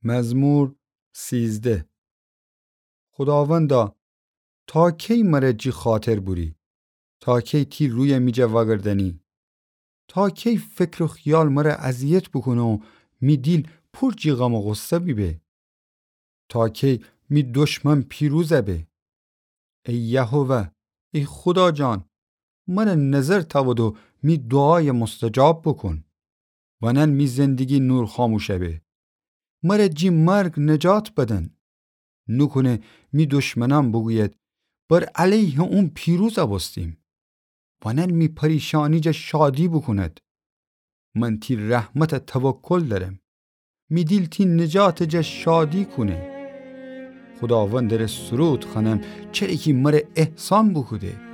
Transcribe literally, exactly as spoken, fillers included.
مزمور سیزده. خوداوندا، تا کی مره جی خاطر بوری؟ تا کی تی روی می جا وأگردأنی؟ تا کی فکر و خیال مره اذیت بوکونه و می دیل پور جی غم و غصه بیبه؟ تا کی می دشمن پیروز به؟ ای یهوه، ای خودا جان، مره نظر تأود و می دوعای مستجاب بوکون. ونأن می زندگی نور خاموش به. مره جی مرگ نجات بدن. نوکونه می دشمنأن بوگوید: بر علیه اون پیروز بوستیم. ونأن می پریشانی جا شادی بوکوند. من تی رحمت توکل دأرم. می دیل تی نجات جا شادی کونه. خوداوندٚ ره سرود خوأنم، چره کی مره احسان بوکوده.